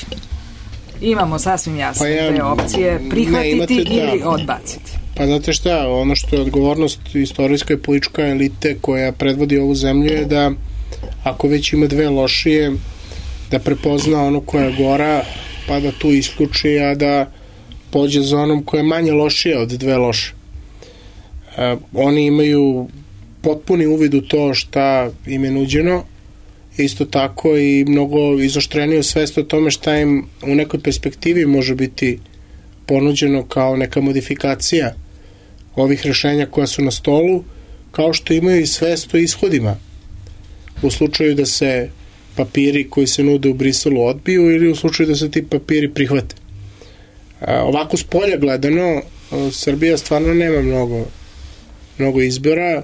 Imamo sasvim jasno te opcije, prihvatiti ili odbaciti. Pa znate šta, ono što je odgovornost istorijska i politička elite koja predvodi ovu zemlju je da ako već ima dve lošije, da prepozna ono koja je gora, pa da tu isključi, a da pođe za onom koja je manje lošija od dve loše. Oni imaju potpuni uvid u to šta im je nuđeno, isto tako i mnogo izoštreniju svest o tome šta im u nekoj perspektivi može biti ponuđeno kao neka modifikacija ovih rešenja koja su na stolu, kao što imaju i svest o ishodima u slučaju da se papiri koji se nude u Briselu odbiju ili u slučaju da se ti papiri prihvate. Ovako s polja gledano, Srbija stvarno nema mnogo izbora.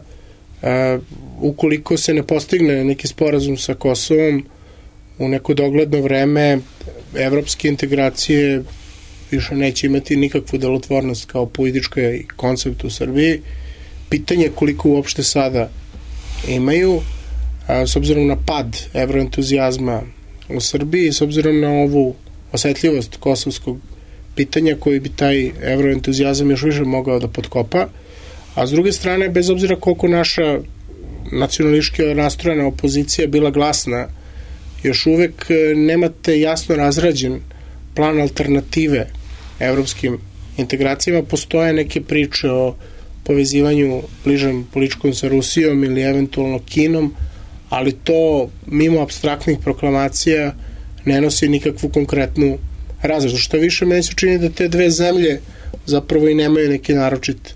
Ukoliko se ne postigne neki sporazum sa Kosovom u neko dogledno vreme, evropske integracije više neće imati nikakvu delotvornost kao politička koncept u Srbiji. Pitanje je koliko uopšte sada imaju, s obzirom na pad evroentuzijazma u Srbiji, s obzirom na ovu osetljivost kosovskog pitanja koji bi taj evroentuzijazam još više mogao da potkopa, a s druge strane, bez obzira koliko naša nacionalistički nastrojena opozicija bila glasna, još uvek nemate jasno razrađen plan alternative evropskim integracijama. Postoje neke priče o povezivanju bližem političkom sa Rusijom ili eventualno Kinom, ali to mimo apstraktnih proklamacija ne nosi nikakvu konkretnu razradu. Što više, meni se čini da te dve zemlje zapravo i nemaju neki naročit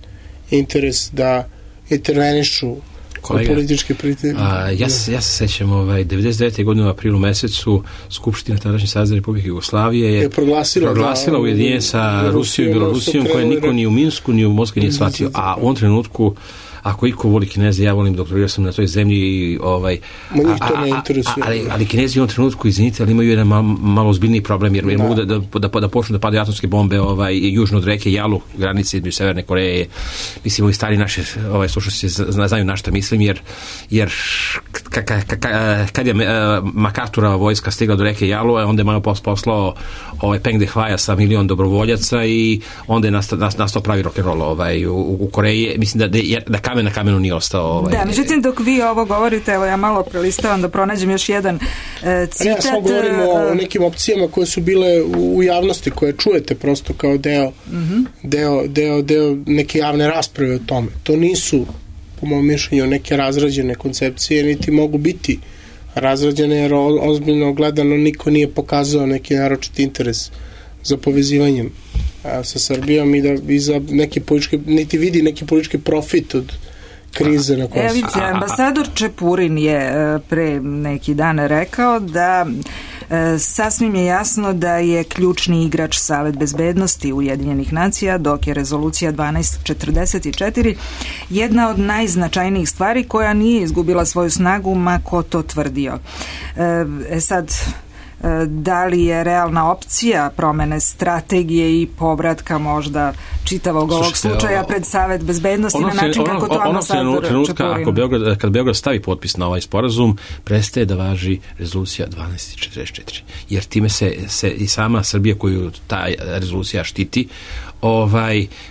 interes da intervenišu Kolega, političke pritiske. Ja se sećam 99. godine u aprilu mesecu Skupština tadašnje Savezne Republike Jugoslavije je proglasila ujedinjenje sa Rusijom i Belorusijom, koje niko ni u Minsku ni u Moskvi nije shvatio, a u ovom trenutku ako iko voli Kineze, ja volim doktorirao sam na toj zemlji i ali Kinezi u ovom trenutku, izvinite, ali imaju jedan malo ozbiljniji problem, jer mogu da počnu da padaju atomske bombe južno od reke Jalu, granice između Severne Koreje. Mislim, ovi stari naši slušalci znaju na šta mislim, jer kad je MacArthurova vojska stigla do reke Jalu, onda je malo poslao Peng Dehuaja sa 1 milion dobrovoljaca i onda je nastao pravi rock'n'roll u Koreji. Mislim da kamen na kamenu nije ostao. Da, međutim, dok vi ovo govorite, evo ja malo prelistavam da pronađem još jedan citat. Ja samo govorimo o nekim opcijama koje su bile u javnosti, koje čujete prosto kao deo neke javne rasprave o tome. To nisu, po mom mišljenju, neke razrađene koncepcije, niti mogu biti razrađene, jer ozbiljno gledano niko nije pokazao neki naročit interes za povezivanjem sa Srbijom i za neki politički, niti vidi neki politički profit od krize na Kosovu. Vidite, ambasador Čepurin je pre neki dan rekao da sasvim je jasno da je ključni igrač Savet bezbednosti Ujedinjenih nacija, dok je rezolucija 1244 jedna od najznačajnijih stvari koja nije izgubila svoju snagu, ma ko to tvrdio. Sad, da li je realna opcija promene strategije i povratka možda čitavog ovog slučaja pred Savet bezbednosti na način kako to ambasador Čepurin? Kad Beograd stavi potpis na ovaj sporazum, prestaje da važi rezolucija 1244. Jer time se i sama Srbija koju ta rezolucija štiti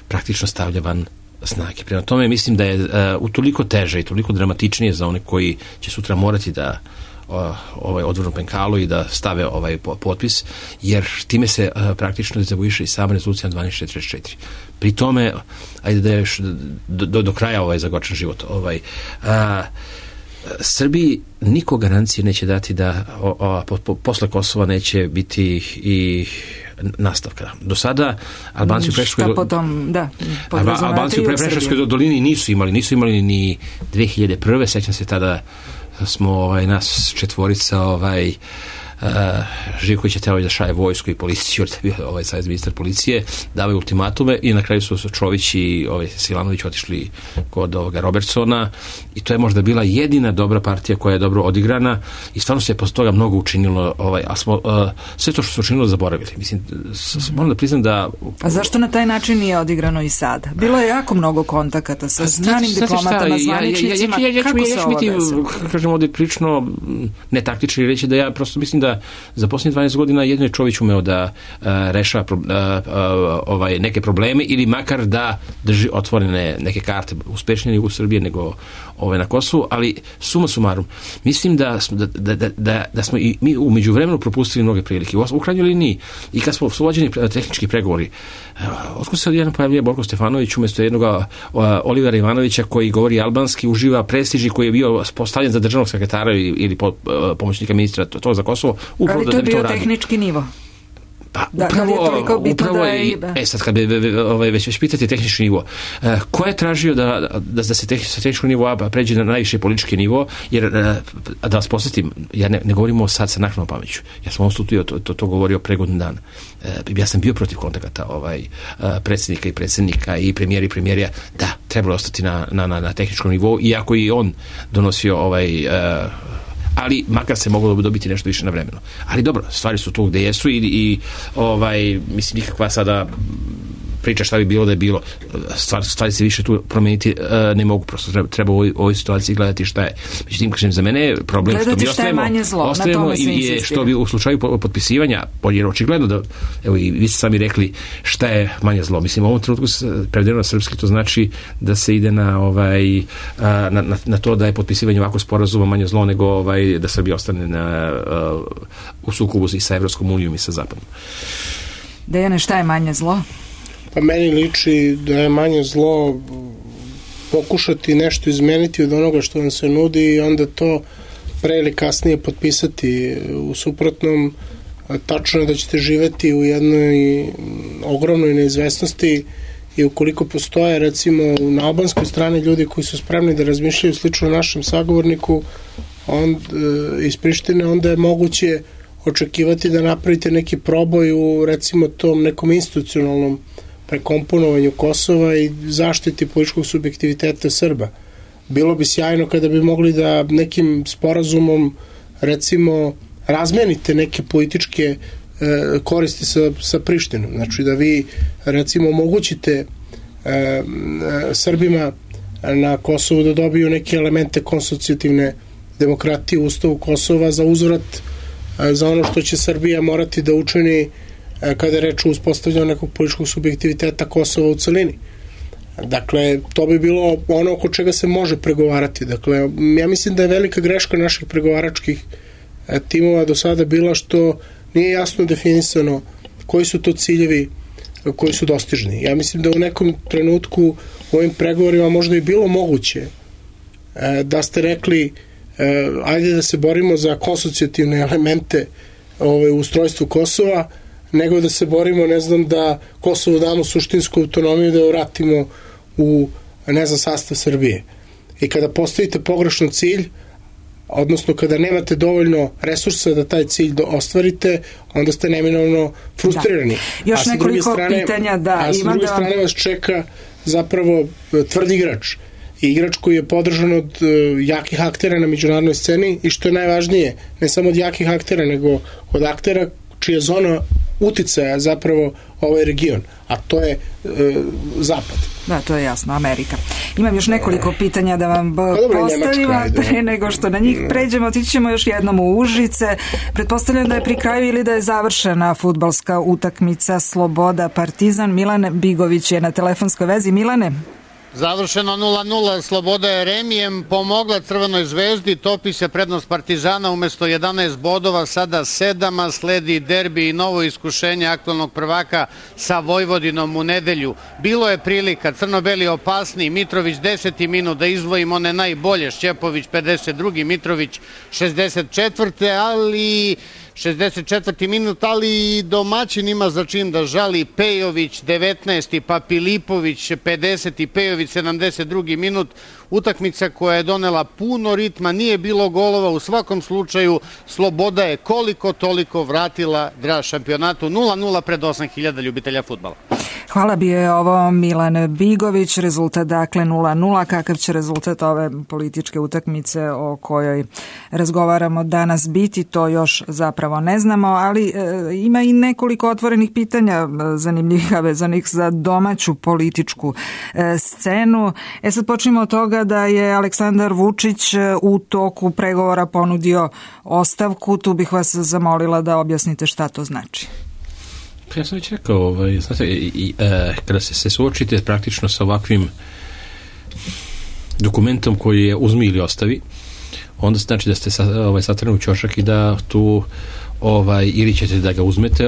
praktično stavlja van snage. Prema tome mislim da je utoliko teže i toliko dramatičnije za one koji će sutra morati da odvrnu penkalu i da stave ovaj potpis, jer time se praktično dezavuiše i sama rezolucija 1244. Pri tome, ajde da je još do kraja zagočan život. Srbiji niko garancije neće dati da posle Kosova neće biti i nastavka. Do sada Albanci u Preševskoj dolini nisu imali ni 2001. Sećam se tada smo nas četvorica Živković je teo da šaje vojsku i policiju, jer je bio savez ministar policije, davaju ultimatume i na kraju su Čović i Silanović otišli kod Robertsona i to je možda bila jedina dobra partija koja je dobro odigrana i stvarno se je posle toga mnogo učinilo, a smo sve to što se učinilo zaboravili. Mislim, moram da priznam da... A zašto na taj način nije odigrano i sada? Bilo je jako mnogo kontakata sa znanim diplomatama, zvaničnicima. Kako se ovo desilo? Kažem ovdje prilično netaktični reći da ja prosto mislim da za posljednjih 12 godina jedno je Čović umeo da rešava neke probleme ili makar da drži otvorene neke karte, uspešnije u Srbiji nego na Kosovu, ali suma sumarum, mislim da smo i mi u međuvremenu propustili mnoge prilike. U krajnjoj liniji i kad smo uvođeni tehnički pregovori, otkud se odjednom pojavljuje Borko Stefanović umjesto jednog Olivera Ivanovića koji govori albanski, uživa prestiž i koji je bio postavljen za državnog sekretara ili pomoćnika ministra to za Kosovo. Ali to je bio tehnički nivo. Pa upravo je, sad kad već pitati tehnički nivo, ko je tražio da se sa tehničkog nivoa pređe na najviše politički nivo, jer da vas posjetim, ja ne govorimo sad sa naknadnom pameću, ja sam u ovom studiju to govorio pre godinu dana, ja sam bio protiv kontakata predsjednika i predsjednika i premijerija, da, trebalo ostati na tehničkom nivou, iako i on donosio ali makar se moglo dobiti nešto više na vremenu. Ali dobro, stvari su tu gde jesu i mislim, nikakva sada priča šta bi bilo da je bilo. Stvari se više tu promeniti ne mogu, prosto treba u ovoj situaciji gledati šta je. Međutim, kažem, za mene je problem gledati što bi ostajemo i što bi u slučaju potpisivanja, jer očigledno da, evo i vi ste sami rekli šta je manje zlo. Mislim, u ovom trenutku prevedeno na srpski, to znači da se ide na to da je potpisivanje ovako sporazuma manje zlo nego da Srbija ostane u sukobu i sa Evropskom unijom i sa Zapadom. Dejane, šta je manje zlo? Pa meni liči da je manje zlo pokušati nešto izmeniti od onoga što vam se nudi i onda to pre ili kasnije potpisati. U suprotnom, tačno je da ćete živeti u jednoj ogromnoj neizvesnosti i ukoliko postoje recimo na albanskoj strani ljudi koji su spremni da razmišljaju slično našem sagovorniku iz Prištine, onda je moguće očekivati da napravite neki proboj u recimo tom nekom institucionalnom prekomponovanju Kosova i zaštiti političkog subjektiviteta Srba. Bilo bi sjajno kada bi mogli da nekim sporazumom recimo razmenite neke političke koristi sa Prištinom. Znači da vi recimo omogućite Srbima na Kosovu da dobiju neke elemente konsocijativne demokratije u Ustavu Kosova za uzvrat za ono što će Srbija morati da učini kada je reč o uspostavljanju nekog političkog subjektiviteta Kosova u celini. Dakle, to bi bilo ono oko čega se može pregovarati. Dakle, ja mislim da je velika greška naših pregovaračkih timova do sada bila što nije jasno definisano koji su to ciljevi koji su dostižni. Ja mislim da u nekom trenutku u ovim pregovorima možda i bilo moguće da ste rekli ajde da se borimo za konsocijativne elemente u ustrojstvu Kosova, nego da se borimo, ne znam, da Kosovu damo suštinsku autonomiju, da je vratimo u, ne znam, sastav Srbije. I kada postavite pogrešan cilj, odnosno kada nemate dovoljno resursa da taj cilj ostvarite, onda ste neminovno frustrirani. Da. Još nekoliko pitanja a sa druge strane vas čeka zapravo tvrd igrač. I igrač koji je podržan od jakih aktera na međunarodnoj sceni i što je najvažnije, ne samo od jakih aktera, nego od aktera čija zona uticaja zapravo ovaj region, a to je Zapad. Da, to je jasno, Amerika. Imam još nekoliko pitanja da vam postavim, pre nego što na njih pređemo, otići ćemo još jednom u Užice. Pretpostavljam da je pri kraju ili da je završena fudbalska utakmica Sloboda Partizan. Milan Bigović je na telefonskoj vezi. Milane? Završeno 0-0, Sloboda je remijem pomogla Crvenoj zvezdi, topi se prednost Partizana umesto 11 bodova, sada 7, a sledi derbi i novo iskušenje aktualnog prvaka sa Vojvodinom u nedelju. Bilo je prilika, crno-beli opasni, Mitrović 10. minut da izdvojim one najbolje, Šćepović 52. Mitrović 64. ali 64. minut, ali domaćin ima za čin da žali. Pejović 19. pa Filipović 50. Pejović 72. minut. Utakmica koja je donela puno ritma, nije bilo golova, u svakom slučaju Sloboda je koliko toliko vratila draž šampionatu. 0-0 pred 8.000 ljubitelja fudbala. Hvala, bio je ovo Milan Bigović, rezultat dakle 0-0. Kakav će rezultat ove političke utakmice o kojoj razgovaramo danas biti, to još zapravo ne znamo, ali ima i nekoliko otvorenih pitanja zanimljivih vezanih za domaću političku scenu. Sad počnemo od toga da je Aleksandar Vučić u toku pregovora ponudio ostavku. Tu bih vas zamolila da objasnite šta to znači. Ja sam već rekao, znate, kada se suočite praktično sa ovakvim dokumentom koji je uzmi ili ostavi, onda znači da ste satrani u ćošak i da tu ili ćete da ga uzmete,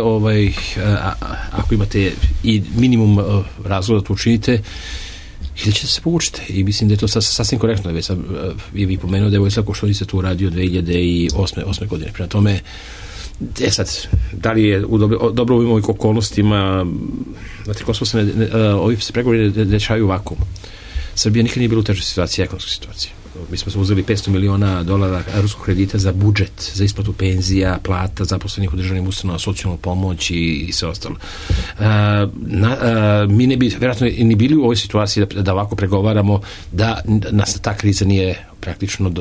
ako imate i minimum razloga da to učinite, ili ćete se povučite. I mislim da je to sasvim korektno. Već sam vi pomenuo da je Vojislav Koštunica tu radio 2008. godine. Prema tome, sad, da li je dobro u ovim okolnostima, znate, Kosovo ovi se pregovori dešavaju u vakuumu. Srbija nikad nije bila u težoj situaciji, ekonomskoj situaciji. Mi smo uzeli $500 miliona ruskog kredita za budžet, za isplatu penzija, plata, zaposlenih u državnim ustanovama, socijalnu pomoć i sve ostalo. Mi ne bi vjerojatno ni bili u ovoj situaciji da ovako pregovaramo, da nas ta kriza nije praktično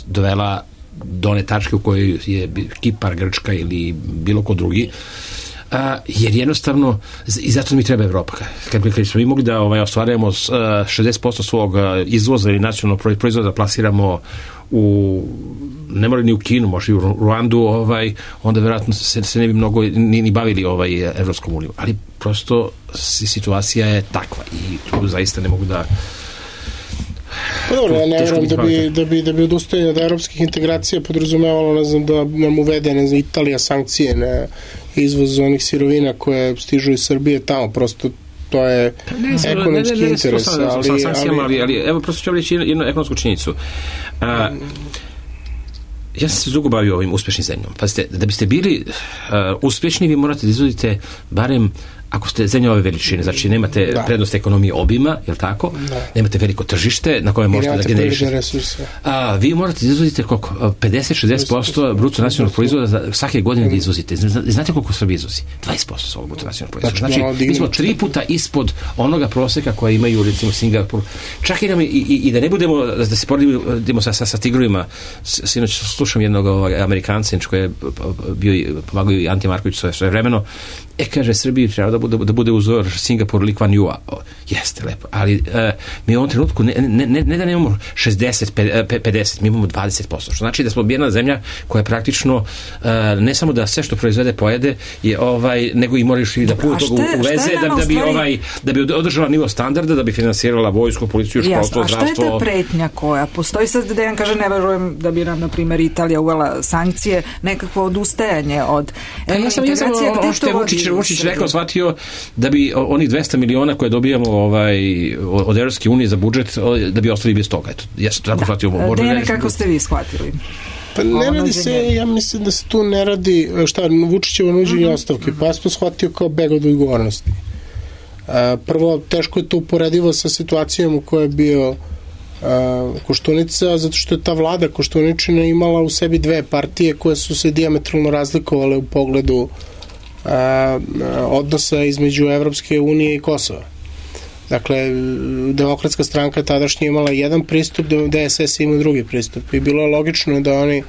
dovela do one tačke u kojoj je Kipar, Grčka ili bilo ko drugi, jer jednostavno i zato mi treba Evropa. Kad smo mi mogli da ostvarujemo 60% svog izvoza ili nacionalnog proizvoda plasiramo ne mora ni u Kinu, može i u Ruandu, onda vjerojatno se ne bi mnogo ni bavili Evropskom unijom, ali prosto situacija je takva i tu zaista ne mogu da dobro, ja ne vjerujem da bi odustajanje od evropskih integracija podrazumevalo, ne znam, da nam uvede, ne znam, Italija sankcije na izvoz onih sirovina koje stižu iz Srbije tamo, prosto to je ekonomski interes. Ali evo, prosto ću reći jednu ekonomsku činjenicu. Ja sam se dugo bavio ovim uspješnim zemljom. Pazite, da biste bili uspješni, vi morate da izvodite barem ako ste zemlja ove veličine, znači nemate prednost ekonomije obima, je li tako? Nemate veliko tržište na kojem možete da generišete. A vi morate da izvozite koliko? 50-60% bruto nacionalnog proizvoda svake godine da izvozite. Znate koliko Srbija izvozi? 20% svog bruto nacionalnog proizvoda. Znači, mi smo 3 puta ispod onoga proseka koje imaju, recimo, Singapur. Čak i da ne budemo, da se poredimo sa tigrovima. Sinoć slušam jednog Amerikanca koji je bio, pomagao i Ante Marković svoje vremeno. Kaže, Srbiji treba da bude uzor Singapur, Lee Kuan Yew. Jeste, lepo. Ali mi u ovom trenutku ne da nemamo 60-50, mi imamo 20%. Što znači da smo jedna zemlja koja praktično ne samo da sve što proizvede pojede, nego i moraš i da puno toga uveze da bi održala nivo standarda, da bi finansirala vojsku, policiju, školstvo, zdravstvo. A šta je ta pretnja koja postoji? Sad Dejan kaže, ne verujem da bi nam, na primjer, Italija uvela sankcije, nekakvo odustajanje od integracije. Ono što je Vučić rekao, shvatio da bi onih 200 miliona koje dobijamo od Evropske unije za budžet, da bi ostali bez toga. Eto, ja sam tako shvatio. Dene, kako ste vi shvatili? Pa ne radi se, ja mislim da se tu ne radi, Vučićevo nuđenje ostavke, pa ja sam to shvatio kao beg od odgovornosti. Prvo, teško je to uporedivo sa situacijom u kojoj je bio Koštunica, zato što je ta vlada Koštuničina imala u sebi dve partije koje su se dijametralno razlikovale u pogledu odnosa između Evropske unije i Kosova. Dakle, Demokratska stranka tadašnje imala jedan pristup, DSS ima drugi pristup i bilo je logično da oni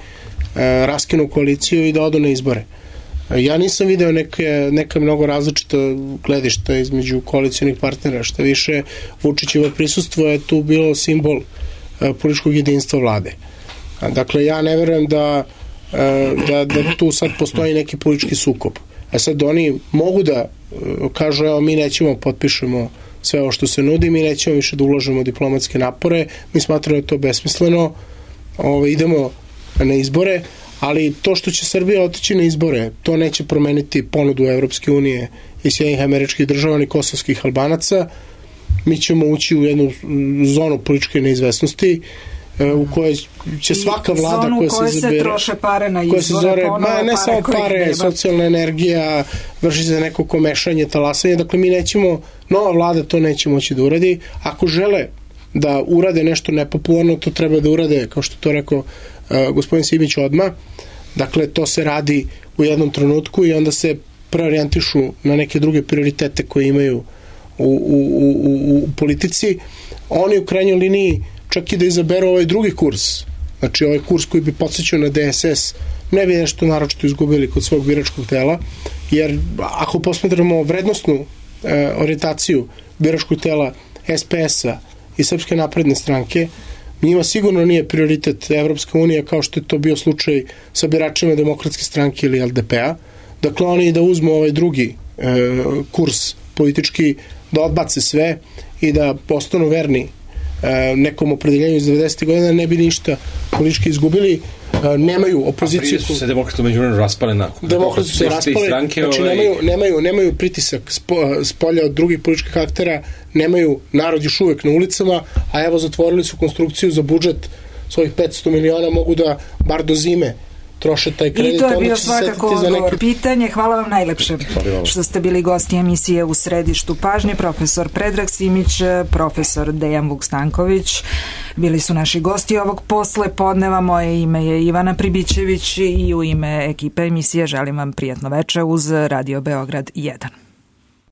raskinu koaliciju i da odu na izbore. Ja nisam video neka mnogo različita gledišta između koalicionih partnera, što više Vučićevo prisustvo je tu bilo simbol političkog jedinstva vlade. Dakle, ja ne verujem da tu sad postoji neki politički sukob. A sad oni mogu da kažu, evo, mi nećemo potpišemo sve ovo što se nudi, mi nećemo više da ulažemo diplomatske napore, mi smatramo da je to besmisleno, idemo na izbore, ali to što će Srbija otići na izbore, to neće promeniti ponudu Evropske unije i Sjedinjenih Američkih Država ni kosovskih Albanaca. Mi ćemo ući u jednu zonu političke neizvesnosti u kojoj će svaka vlada zonu koja se koje izabere, se troše pare na izbore, ne samo pare, socijalna energija, vrši se neko komešanje, talasanje, dakle mi nećemo, nova vlada to neće moći da uradi. Ako žele da urade nešto nepopularno, to treba da urade, kao što to rekao gospodin Simić odmah. Dakle, to se radi u jednom trenutku i onda se preorijentišu na neke druge prioritete koje imaju u politici. Oni u krajnjoj liniji čak i da izaberu ovaj drugi kurs, znači ovaj kurs koji bi podsjećao na DSS, ne bi nešto naročito izgubili kod svog biračkog tela, jer ako posmatramo vrednostnu orijentaciju biračkog tela SPS-a i Srpske napredne stranke, njima sigurno nije prioritet Evropska unija kao što je to bio slučaj sa biračima Demokratske stranke ili LDP-a. Dakle, oni da uzmu ovaj drugi kurs politički, da odbace sve i da postanu verni nekom opredeljenju iz 90. godina, ne bi ništa politički izgubili. Nemaju opoziciju. A prije su se demokrati međuvremenu raspale na demokrati su se raspale, znači nemaju pritisak s polja od drugih političkih aktera, nemaju narod još uvek na ulicama, a evo zatvorili su konstrukciju za budžet svojih 500 miliona, mogu da bar do zime troše taj kredit. I to je bio svakako odgovor. Pitanje, hvala vam najlepše što ste bili gosti emisije U središtu pažnje. Profesor Predrag Simić, profesor Dejan Vukstanković bili su naši gosti ovog poslepodneva. Moje ime je Ivana Pribićević i u ime ekipe emisije želim vam prijatno veče uz Radio Beograd 1.